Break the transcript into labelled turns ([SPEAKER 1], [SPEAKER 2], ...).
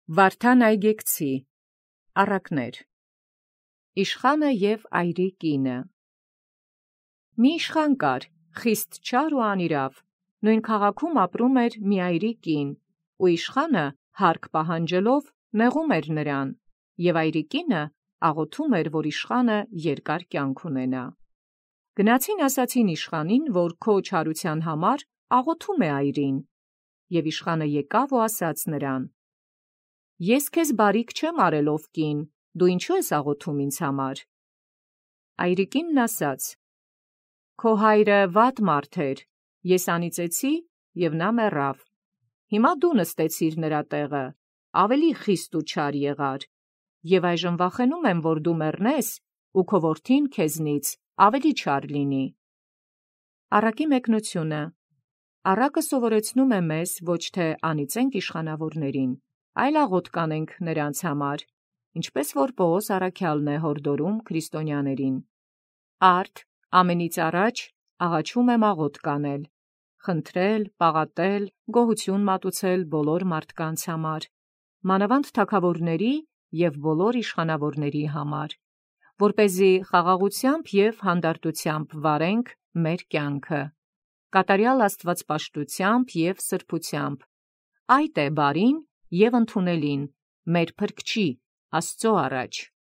[SPEAKER 1] Վարդան այգեկցի առակներ Իշխանը և այրի կինը Մի իշխան կար, խիստ չար ու անիրավ, նույն քաղաքում ապրում էր մի այրի կին, ու իշխանը հարկ պահանջելով նեղում էր նրան, և այրի կինը աղոթում էր, որ իշխանը երկար կյանք ունենա։ Գնացին ասացին իշխանին, որ քո չարության համար աղոթում է այրին, և իշխանը եկավ ու ասաց նրան. Ես քեզ բարիք չեմ արել ով կին, դու ինչու ես աղոթում ինձ համար։ Այրի կինն ասաց. Քո հայրը վատ մարդ էր, ես անիծեցի, և նա մեռավ։ Հիմա դու նստեցիր նրա տեղը, ավելի խիստ ու չար եղար, և այժմ վախենում եմ, որ դու մեռնես, ու քո որդին քեզնից ավելի չար լինի։ Առակի մեկնությունը Առակը սովորեցնում է մեզ ոչ թե անիծենք իշխանավորներին, այլ աղոթք կանենք նրանց համար, ինչպես որ Պողոս առաքյալն է հորդորում քրիստոնյաներին։ Արդ ամենից առաջ աղաչում եմ աղոթք անել, խնդրել, պաղատել, գոհություն մատուցել բոլոր մարդկանց համար, մանավանդ թագավորների և բոլոր իշխանավորների համար, որպեսզի խաղաղությամբ և հանդարտությամբ վարենք մեր կյանքը, կատարյալ աստվածպաշտությամբ և սրբությամբ։ Այդ է բարին և ընդունելին մեր Փրկչի Աստծո առաջ։